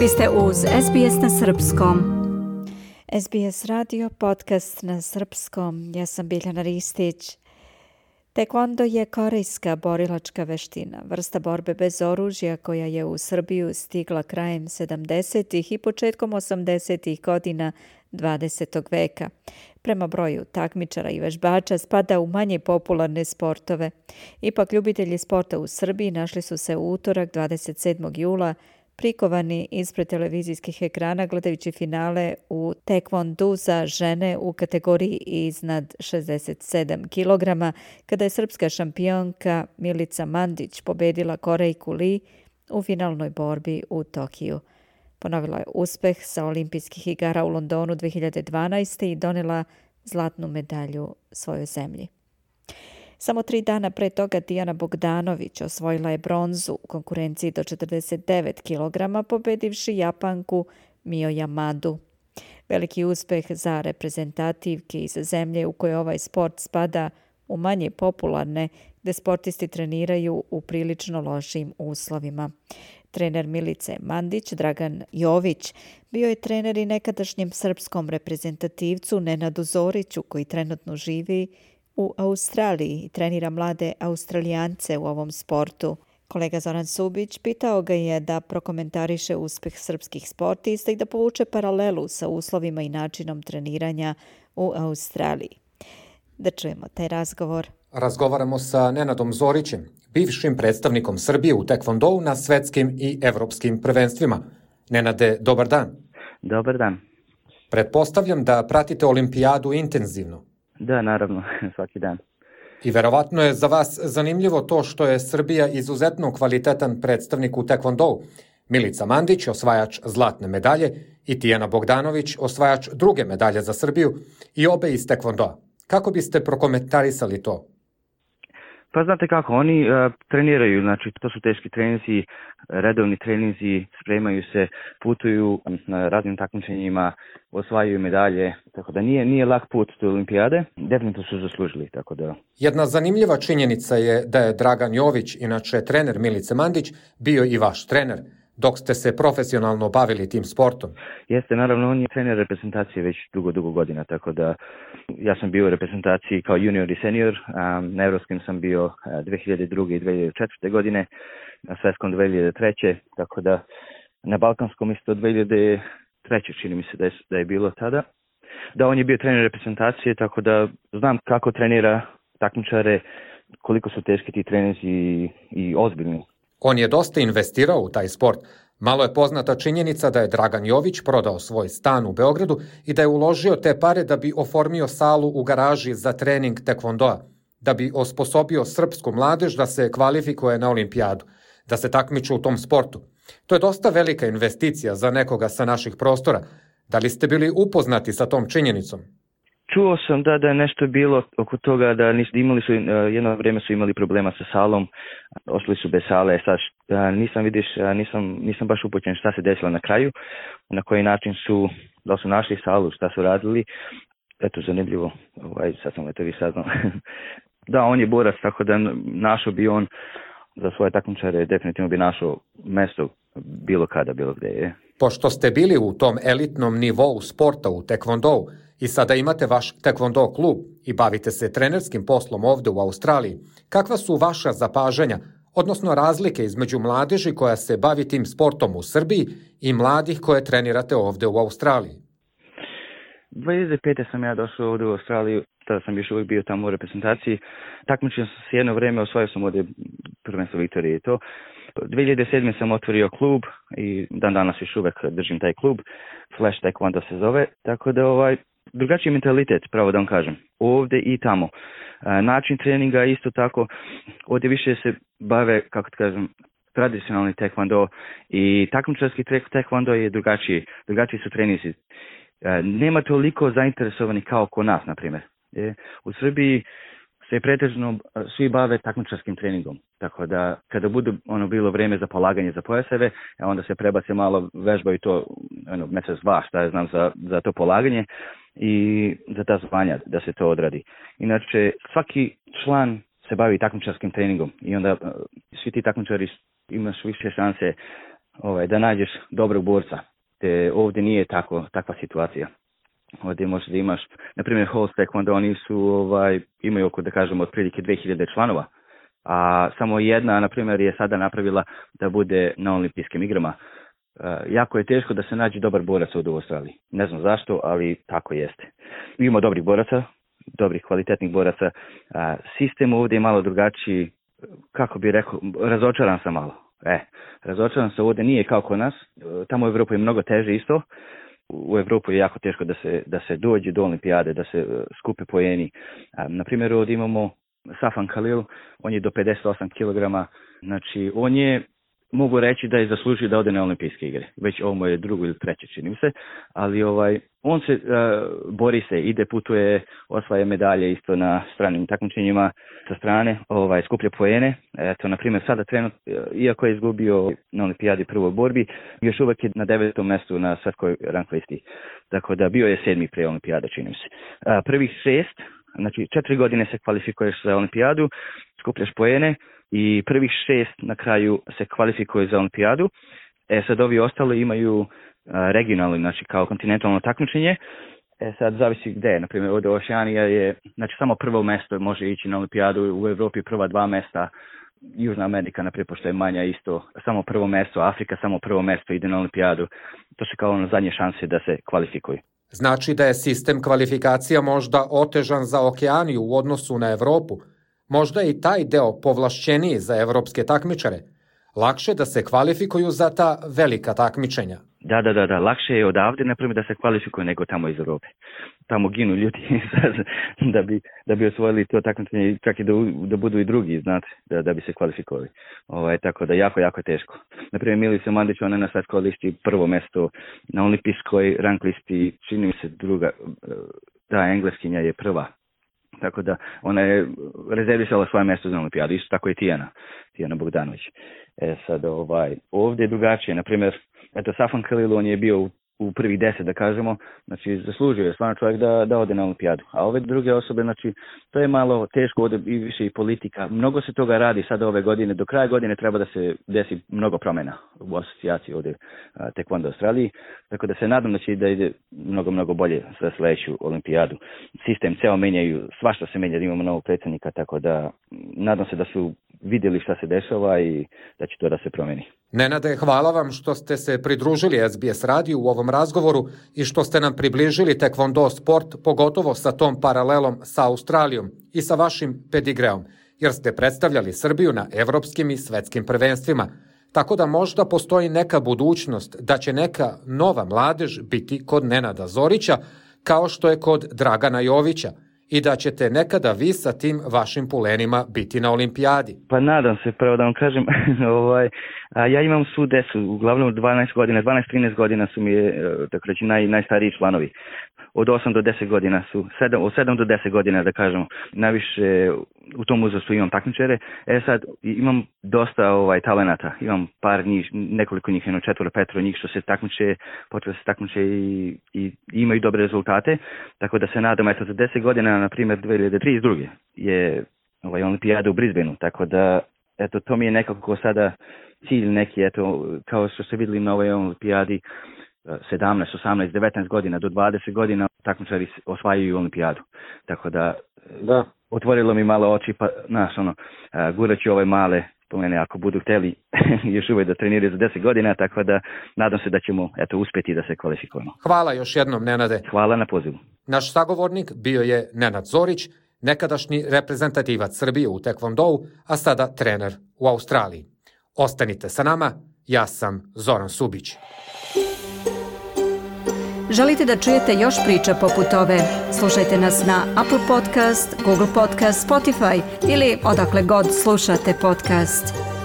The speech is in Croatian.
Vi ste uz SBS na Srpskom. SBS radio podcast na Srpskom. Ja sam Biljana Ristić. Taekwondo je korejska borilačka veština, vrsta borbe bez oružja koja je u Srbiju stigla krajem 70. i početkom 80. godina 20. veka. Prema broju takmičara i vežbača spada u manje popularne sportove. Ipak ljubitelji sporta u Srbiji našli su se u utorak 27. jula prikovani ispred televizijskih ekrana gledajući finale u taekwondu za žene u kategoriji iznad 67 kg, kada je srpska šampionka Milica Mandić pobedila Korejku Lee u finalnoj borbi u Tokiju. Ponovila je uspeh sa olimpijskih igara u Londonu 2012. i donela zlatnu medalju svojoj zemlji. Samo 3 dana pre toga Dijana Bogdanović osvojila je bronzu u konkurenciji do 49 kg, pobedivši Japanku Mio Yamadu. Veliki uspeh za reprezentativke iz zemlje u kojoj ovaj sport spada u manje popularne, gde sportisti treniraju u prilično lošim uslovima. Trener Milice Mandić, Dragan Jović, bio je trener i nekadašnjem srpskom reprezentativcu Nenadu Zoriću, koji trenutno živi u Australiji i trenira mlade Australijance u ovom sportu. Kolega Zoran Subić pitao ga je da prokomentariše uspeh srpskih sportista i da povuče paralelu sa uslovima i načinom treniranja u Australiji. Da čujemo taj razgovor. Razgovaramo sa Nenadom Zorićem, bivšim predstavnikom Srbije u taekwondou na svetskim i evropskim prvenstvima. Nenade, dobar dan. Dobar dan. Pretpostavljam da pratite olimpijadu intenzivno. Da, naravno, svaki dan. I verovatno je za vas zanimljivo to što je Srbija izuzetno kvalitetan predstavnik u taekwondou. Milica Mandić, osvajač zlatne medalje, i Tijana Bogdanović, osvajač druge medalje za Srbiju, i obe iz taekwondoa. Kako biste prokomentarisali to? Pa znate kako, oni treniraju, znači to su teški treninzi, redovni treninzi, spremaju se, putuju na raznim takmičenjima, osvajaju medalje, tako da nije lak put do olimpijade, definitivno su zaslužili, tako da. Jedna zanimljiva činjenica je da je Dragan Jović, inače trener Milice Mandić, bio i vaš trener, dok ste se profesionalno bavili tim sportom. Jeste, naravno, on je trener reprezentacije već dugo godina, tako da ja sam bio u reprezentaciji kao junior i senior, na evropskim sam bio 2002. i 2004. godine, na svetskom 2003. Tako da na balkanskom isto 2003. čini mi se da je bilo tada. Da, on je bio trener reprezentacije, tako da znam kako trenira takmičare, koliko su teški ti treninzi i ozbiljni. On je dosta investirao u taj sport. Malo je poznata činjenica da je Dragan Jović prodao svoj stan u Beogradu i da je uložio te pare da bi oformio salu u garaži za trening taekwondoa, da bi osposobio srpsku mladež da se kvalifikuje na olimpijadu, da se takmiču u tom sportu. To je dosta velika investicija za nekoga sa naših prostora. Da li ste bili upoznati sa tom činjenicom? Čuo sam da je nešto bilo oko toga, da imali su, jedno vrijeme su imali problema sa salom, ostali su bez sale, sad nisam baš upućen šta se desilo na kraju, na koji način da su našli salu, šta su radili, eto zanimljivo, sad sam vi saznao. Da, on je borac, tako da našao bi on za svoje takmičare, definitivno bi našao mesto bilo kada, bilo gdje je. Pošto ste bili u tom elitnom nivou sporta u taekwondou i sada imate vaš taekwondo klub i bavite se trenerskim poslom ovde u Australiji, kakva su vaša zapažanja, odnosno razlike između mladeži koja se bavi tim sportom u Srbiji i mladih koje trenirate ovde u Australiji? 2005. sam ja došao ovdje u Australiju, tada sam još uvijek bio tamo u reprezentaciji. Takmičio sam se jedno vrijeme, osvojio sam ovdje prvenstvo Viktorije i to. 2007. sam otvorio klub i dan danas još uvijek držim taj klub. Flash Taekwondo se zove, tako da drugačiji mentalitet, pravo da vam kažem, ovdje i tamo. Način treninga isto tako, ovdje više se bave, kako da kažem, tradicionalni taekwondo i takmičarski taekwondo je drugačiji su treninzi. Nema toliko zainteresovanih kao kod nas, na primjer. U Srbiji se pretežno svi bave takmičarskim treningom, tako da kada bude bilo vrijeme za polaganje za pojaseve, onda se prebace malo, vežbaju to mjesec dva, šta ja znam, za to polaganje i za ta zvanja da se to odradi. Inače, svaki član se bavi takmičarskim treningom i onda svi ti takmičari imaš više šanse da nađeš dobrog borca. Te ovdje nije takva situacija. Ovdje možeš da imaš, na primjer, Halls Taekwondo, oni su, imaju oko, da kažemo, otprilike 2000 članova, a samo jedna, na primjer, je sada napravila da bude na olimpijskim igrama. Jako je teško da se nađe dobar borac ovdje u Australiji. Ne znam zašto, ali tako jeste. Ima dobrih boraca, dobrih kvalitetnih boraca. Sistem ovdje je malo drugačiji, kako bi rekao, razočaran sam malo. Razočaran sam ovdje, nije kao kod nas. Tamo u Evropu je mnogo teže isto. U Evropu je jako teško da se dođe do olimpijade, da se skupe poeni. Na primjer, ovdje imamo Safan Khalil, on je do 58 kg. Znači, on je, mogu reći da je zaslužio da ode na olimpijske igre. Već ovo je drugo ili treće, čini se. Ali on se bori se, ide, putuje, osvaja medalje isto na stranim takmičenjima sa strane, skuplja poene. Eto, na primjer, sada trenutno, iako je izgubio na olimpijadi prvoj borbi, još uvijek je na 9. mjestu na svetskoj rank listi. Tako da bio je 7. pre olimpijada, čini se. Prvih 6, znači 4 godine se kvalifikuješ za olimpijadu, skupljaš poene i prvih 6 na kraju se kvalifikuje za olimpijadu. Sad ovi ostali imaju regionalno, znači kao kontinentalno takmičenje. Sad zavisi gde je. Naprimjer, ovdje Oceanija je, znači samo prvo mjesto može ići na olimpijadu, u Evropi prva 2 mjesta, Južna Amerika, naprijed, pošto je manja isto, samo prvo mjesto, Afrika samo prvo mjesto ide na olimpijadu. To su kao zadnje šanse da se kvalifikuju. Znači da je sistem kvalifikacija možda otežan za Okeaniju u odnosu na Evropu. Možda je i taj deo povlašćeniji za evropske takmičare. Lakše da se kvalifikuju za ta velika takmičenja. Da. Lakše je odavde, naprimjer, da se kvalifikuju nego tamo iz Europe. Tamo ginu ljudi da bi osvojili to takmičenje, čak i da budu i drugi, znate, da bi se kvalifikovali. Tako da jako teško. Naprimjer, Milica Mandić, ona je na svetskoj listi prvo mjesto, na olimpijskoj rank listi, čini mi se druga, engleskinja je prva. Tako da ona je rezervisala svoje mjesto za olimpijadu. Isto tako i Tijana Bogdanović. Sad ovdje je drugačije. Naprimjer, Safan Khalil, on je bio u prvih 10, da kažemo, znači zaslužio je stvarno čovjek da ode na olimpijadu. A ove druge osobe, znači, to je malo teško, ovdje i više i politika. Mnogo se toga radi sada ove godine. Do kraja godine treba da se desi mnogo promjena u asocijaciji ovdje Taekwondo Australiji. Tako da se nadam da će da ide mnogo bolje za sljedeću olimpijadu. Sistem ceo menjaju, svašta se menja, da imamo novog predsjednika, tako da nadam se da su vidjeli šta se dešava i da će to da se promijeni. Nenade, hvala vam što ste se pridružili SBS radiju u ovom razgovoru i što ste nam približili Taekwondo sport, pogotovo sa tom paralelom sa Australijom i sa vašim pedigreom, jer ste predstavljali Srbiju na evropskim i svetskim prvenstvima. Tako da možda postoji neka budućnost da će neka nova mladež biti kod Nenada Zorića, kao što je kod Dragana Jovića, i da ćete nekada vi sa tim vašim pulenima biti na olimpijadi. Pa nadam se, pravo da vam kažem, ja imam svu decu, uglavnom 12-13 godina su mi, tako reći, najstariji članovi. Od 8 do 10 godina su, od 7 do 10 godina, da kažemo, najviše u tom uzrastu imam takmičare. Sad imam dosta talenata, imam par njih, nekoliko njih, 4-5 njih što se takmiče, počeli se takmiče i imaju dobre rezultate, tako da se nadam, za 10 godina, na primjer 2032. je olimpijada u Brisbaneu, tako da to mi je nekako sada cilj neki, kao što ste vidjeli na ovoj olimpijadi, 17, 18, 19 godina do 20 godina takmičari osvajaju olimpijadu. Tako da otvorilo mi malo oči, pa guraću ove male pomene ako budu hteli još uvijek da treniraju za 10 godina, tako da nadam se da ćemo uspjeti da se kvalifikujemo. Hvala još jednom, Nenade. Hvala na pozivu. Naš sagovornik bio je Nenad Zorić, nekadašnji reprezentativac Srbije u Taekwondou, a sada trener u Australiji. Ostanite sa nama, ja sam Zoran Subić. Želite da čujete još priča poput ove? Slušajte nas na Apple Podcast, Google Podcast, Spotify ili odakle god slušate podcast.